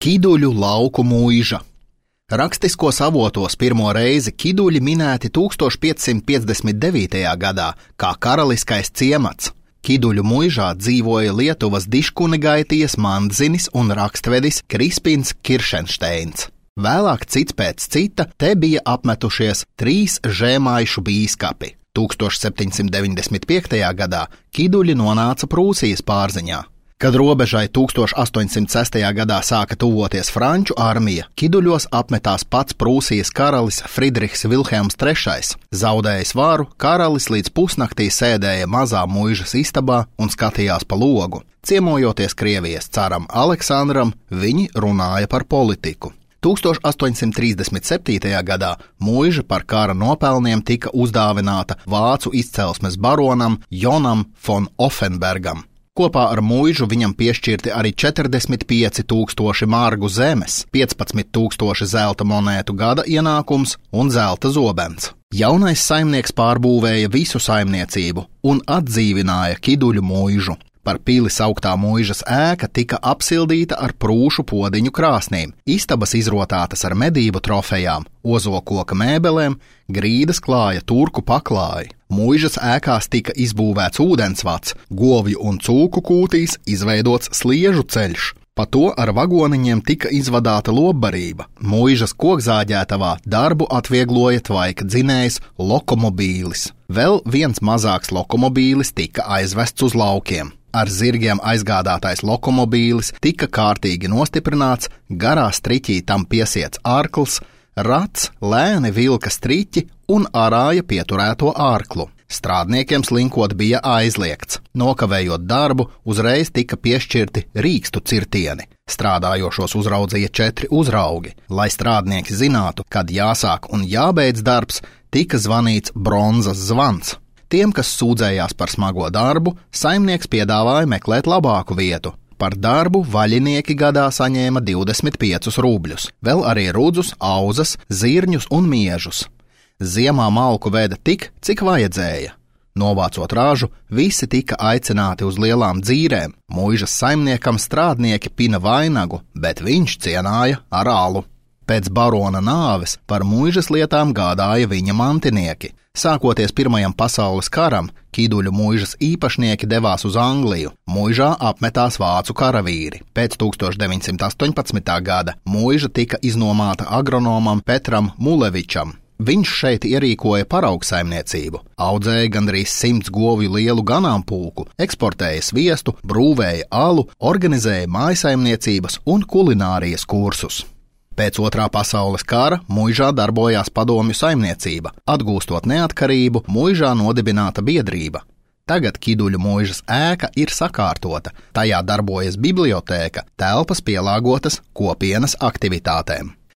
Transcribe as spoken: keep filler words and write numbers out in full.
Kiduļu lauku mūža. Rakstiskos avotos pirmo reizi Kiduļi minēti tūkstoš piecsimt piecdesmit devītajā gadā kā karaliskais ciemats. Kiduļu mūžā dzīvoja Lietuvas diškunegaitijas Mandzinis un rakstvedis Krispins Kiršenšteins. Vēlāk cits pēc cita te bija apmetušies trīs žēmaišu bīskapi. tūkstoš septiņsimt deviņdesmit piektajā gadā Kiduļi nonāca Prūsijas pārziņā. Kad robežai tūkstoš astoņsimt sestajā gadā sāka tuvoties franču armija, Kiduļos apmetās pats Prūsijas karalis Fridrihs Vilhelms trešais. Zaudējis varu, karalis līdz pusnaktī sēdēja mazā muižas istabā un skatījās pa logu. Ciemojoties Krievijas caram Aleksandram, viņi runāja par politiku. tūkstoš astoņsimt trīsdesmit septītajā gadā muiža par kara nopelniem tika uzdāvināta vācu izcelsmes baronam Jonam von Offenbergam. Kopā ar mūžu viņam piešķirti arī četrdesmit pieci tūkstoši margu zemes, piecpadsmit tūkstoši zelta monētu gada ienākums un zelta zobens. Jaunais saimnieks pārbūvēja visu saimniecību un atdzīvināja Kiduļu mūžu. Par pili sauktā mūžas ēka tika apsildīta ar prūšu podiņu krāsnīm, istabas izrotātas ar medību trofejām, ozokoka mēbelēm, grīdas klāja turku paklāji. Mūžas ēkās tika izbūvēts ūdensvads, govju un cūku kūtīs izveidots sliežu ceļš. Pa to ar vagoniņiem tika izvadāta lobbarība. Mūžas kokzāģētavā darbu atviegloja tvaika dzinējs lokomobīlis. Vēl viens mazāks lokomobīlis tika aizvests uz laukiem. Ar zirgiem aizgādātais lokomobīlis tika kārtīgi nostiprināts, garā striķī tam piesiets ārkls, rats lēni vilka striķi un arāja pieturēto ārklu. Strādniekiem slinkot bija aizliegts. Nokavējot darbu, uzreiz tika piešķirti rīkstu cirtieni. Strādājošos uzraudzīja četri uzraugi. Lai strādnieki zinātu, kad jāsāk un jābeidz darbs, tika zvanīts bronzas zvans. Tiem, kas sūdzējās par smago darbu, saimnieks piedāvāja meklēt labāku vietu. Par darbu vaļinieki gadā saņēma divdesmit piecus rubļus, vēl arī rudzus, auzas, zirņus un miežus. Ziemā malku veda tik, cik vajadzēja. Novācot ražu, visi tika aicināti uz lielām dzīrēm. Mūžas saimniekam strādnieki pina vainagu, bet viņš cienāja ar alu. Pēc barona nāves par mūžas lietām gādāja viņa mantinieki. Sākoties Pirmajam pasaules karam, Kiduļu mūžas īpašnieki devās uz Angliju. Mūžā apmetās vācu karavīri. Pēc tūkstoš deviņsimt astoņpadsmitā gada mūža tika iznomāta agronomam Petram Mulevičam. Viņš šeit ierīkoja paraugsaimniecību, audzēja gandrīz simts govju lielu ganāmpulku, eksportēja sviestu, brūvēja alu, organizēja mājasaimniecības un kulinārijas kursus. Pēc Otrā pasaules kara mūžā darbojās padomju saimniecība. Atgūstot neatkarību, mūžā nodibināta biedrība. Tagad Kiduļu mūžas ēka ir sakārtota, tajā darbojas bibliotēka, telpas pielāgotas kopienas aktivitātēm.